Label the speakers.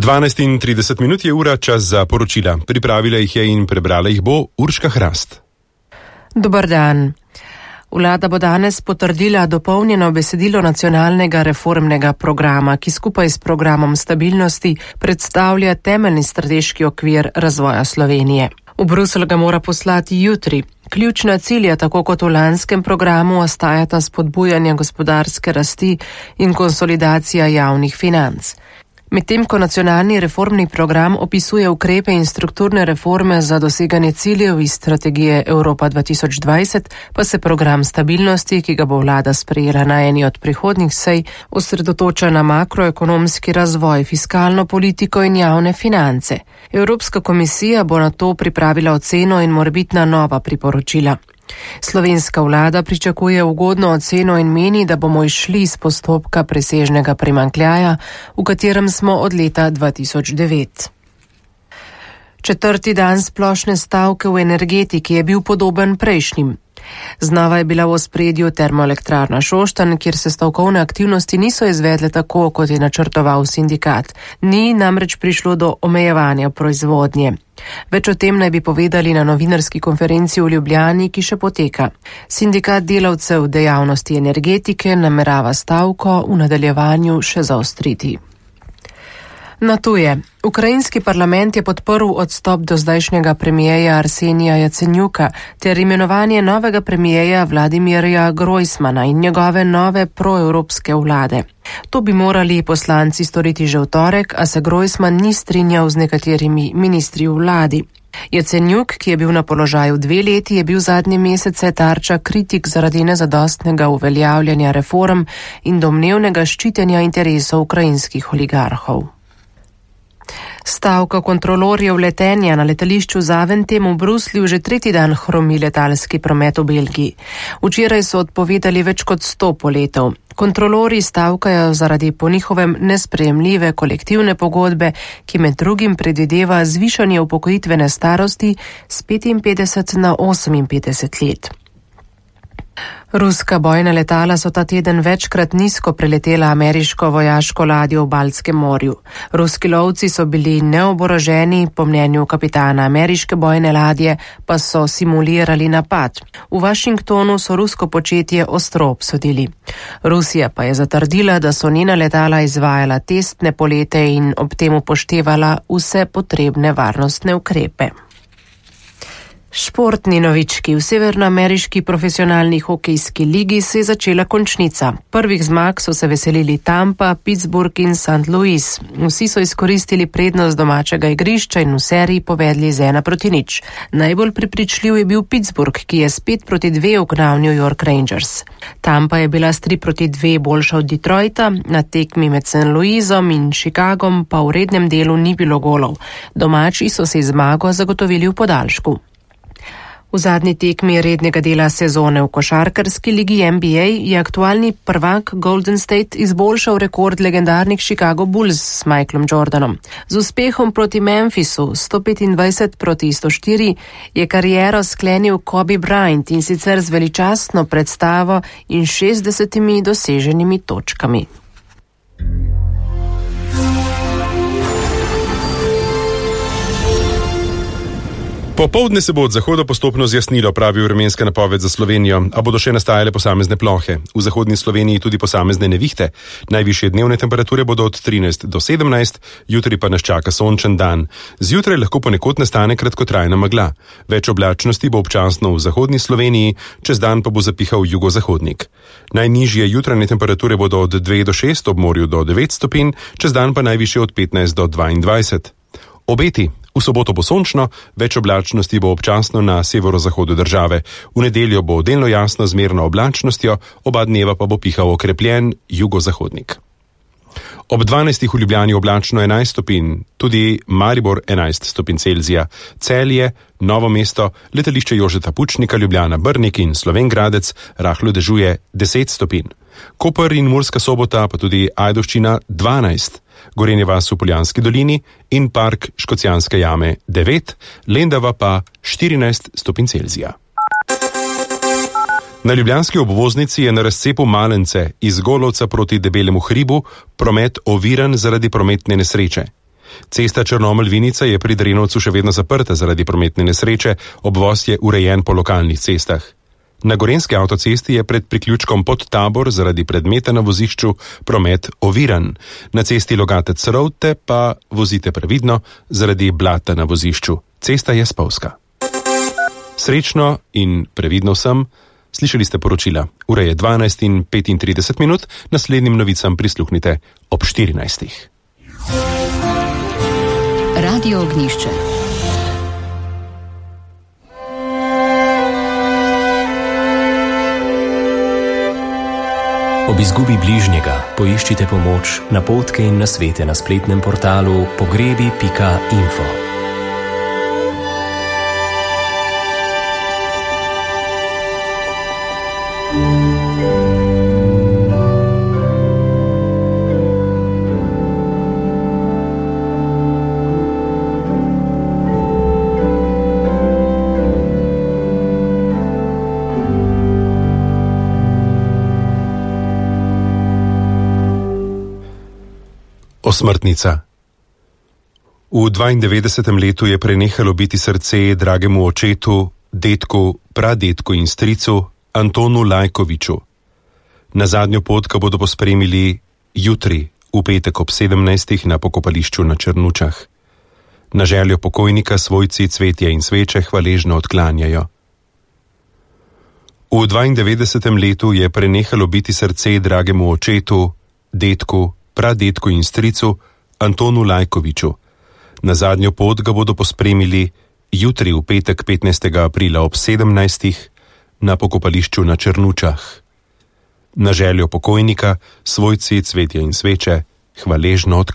Speaker 1: 12:30 je ura, čas za poročila. Pripravila jih je in prebrala jih bo Urška Hrast.
Speaker 2: Dobar dan. Vlada bo danes potrdila dopolnjeno besedilo nacionalnega reformnega programa, ki skupaj s programom stabilnosti predstavlja temeljni strateški okvir razvoja Slovenije. V Bruselj ga mora poslati jutri. Ključna cilja, tako kot v lanskem programu, ostajata spodbujanje gospodarske rasti in konsolidacija javnih financ. Medtem ko nacionalni reformni program opisuje ukrepe in strukturne reforme za doseganje ciljev iz strategije Evropa 2020, pa se program stabilnosti, ki ga bo vlada sprejela na eni od prihodnjih sej, osredotoča na makroekonomski razvoj, fiskalno politiko in javne finance. Evropska komisija bo na to pripravila oceno in morebitna nova priporočila. Slovenska vlada pričakuje ugodno oceno in meni, da bomo išli iz postopka presežnega primanjkljaja, v katerem smo od leta 2009. Četrti dan splošne stavke v energetiki je bil podoben prejšnjim. Znova je bila v ospredju termoelektrarna Šoštanj, kjer se stavkovne aktivnosti niso izvedle tako, kot je načrtoval sindikat. Ni namreč prišlo do omejevanja proizvodnje. Več o tem naj bi povedali na novinarski konferenci v Ljubljani, ki še poteka. Sindikat delavcev dejavnosti energetike namerava stavko v nadaljevanju še zaostriti. Na tuje. Ukrajinski parlament je podprl odstop dozdajšnjega premijeja Arsenija Jacenjuka ter imenovanje novega premijeja Vladimirja Grojsmana in njegove nove proevropske vlade. To bi morali poslanci storiti že v torek, a se Grojsman ni strinjal z nekaterimi ministri v vladi. Jacenjuk, ki je bil na položaju 2 leti, je bil zadnje mesece tarča kritik zaradi nezadostnega uveljavljanja reform in domnevnega ščitenja interesov ukrajinskih oligarhov. Stavka kontrolorjev letenja na letališču Zaventem v Bruslju že 3. dan hromi letalski promet v Belgiji. Včeraj so odpovedali več kot 100 poletov. Kontrolorji stavkajo zaradi po njihovem nesprejemljive kolektivne pogodbe, ki med drugim predvideva zvišanje upokojitvene starosti z 55 na 58 let. Ruska bojna letala so ta teden večkrat nizko preletela ameriško vojaško ladjo v Baltskem morju. Ruski lovci so bili neoboroženi, po mnenju kapitana ameriške bojne ladje pa so simulirali napad. V Washingtonu so rusko početje ostro obsodili. Rusija pa je zatrdila, da so njena letala izvajala testne polete in ob tem upoštevala vse potrebne varnostne ukrepe. Športni novički. V severnoameriški profesionalni hokejski ligi se je začela končnica. Prvih zmag so se veselili Tampa, Pittsburgh in St. Louis. Vsi so izkoristili prednost domačega igrišča in v seriji povedli z 1-0. Najbolj prepričljiv je bil Pittsburgh, ki je s 5-2 ugnal New York Rangers. Tampa je bila s 3-2 boljša od Detroita, na tekmi med St. Louisom in Chicagom pa v rednem delu ni bilo golov. Domači so se zmago zagotovili v podaljšku. V zadnji tekmi rednega dela sezone v košarkarski ligi NBA je aktualni prvak Golden State izboljšal rekord legendarnih Chicago Bulls s Michaelom Jordanom. Z uspehom proti Memphisu 125-104 je kariero sklenil Kobe Bryant in sicer z veličastno predstavo in 60 doseženimi točkami.
Speaker 1: Popoldne se bo od zahoda postopno zjasnilo, pravi vremenska napoved za Slovenijo, a bodo še nastajale posamezne plohe. V zahodni Sloveniji tudi posamezne nevihte. Najvišje dnevne temperature bodo od 13 do 17, jutri pa nas čaka sončen dan. Zjutraj lahko ponekod nastane kratkotrajna megla. Več oblačnosti bo občasno v zahodni Sloveniji, čez dan pa bo zapihal jugozahodnik. Najnižje jutranje temperature bodo od 2 do 6, ob morju do 9 stopinj, čez dan pa najvišje od 15 do 22. Obeti. V soboto bo sončno, več oblačnosti bo občasno na severozahodu države. V nedeljo bo delno jasno z merno oblačnostjo, oba dneva pa bo pihal okrepljen jugozahodnik. Ob 12. v Ljubljani oblačno 11 stopinj, tudi Maribor 11 stopinj Celzija, Celje, Novo mesto, letališče Jožeta Pučnika, Ljubljana, Brnik in Slovenj Gradec rahlo dežuje 10 stopinj. Koper in Murska Sobota pa tudi Ajdovščina 12, Gorenje vas v Poljanski dolini in park Škocjanske jame 9, Lendava pa 14 stopinj Celzija. Na ljubljanski obvoznici je na razcepu Malence iz Golovca proti Debelemu hribu promet oviran zaradi prometne nesreče. Cesta Črnomelj-Vinica je pri Drenovcu še vedno zaprta zaradi prometne nesreče, obvoz je urejen po lokalnih cestah. Na gorenjski avtocesti je pred priključkom pod Tabor zaradi predmeta na vozišču promet oviran. Na cesti Logatec-Rovte pa vozite previdno zaradi blata na vozišču. Cesta je spolzka. Srečno in previdno vsem. Slišali ste poročila. Ura je 12:35, naslednjim novicam prisluhnite ob 14.
Speaker 3: Radio Ognjišče. Ob izgubi bližnjega poiščite pomoč, napotke in nasvete na spletnem portalu pogrebi.info.
Speaker 1: Osmrtnica. V 92. letu je prenehalo biti srce dragemu očetu, dedku, pradedku in stricu Antonu Lajkoviču. Na zadnjo pot ga bodo pospremili jutri, v petek ob 17. na pokopališču na Črnučah. Na željo pokojnika svojci cvetje in sveče hvaležno odklanjajo. V 92. letu je prenehalo biti srce dragemu očetu, dedku, pradedku in stricu Antonu Lajkoviču. Na zadnjo pot ga bodo pospremili jutri v petek 15. aprila ob 17. na pokopališču na Črnučah. Na željo pokojnika svojci cvetje in sveče hvaležno odklanjajo.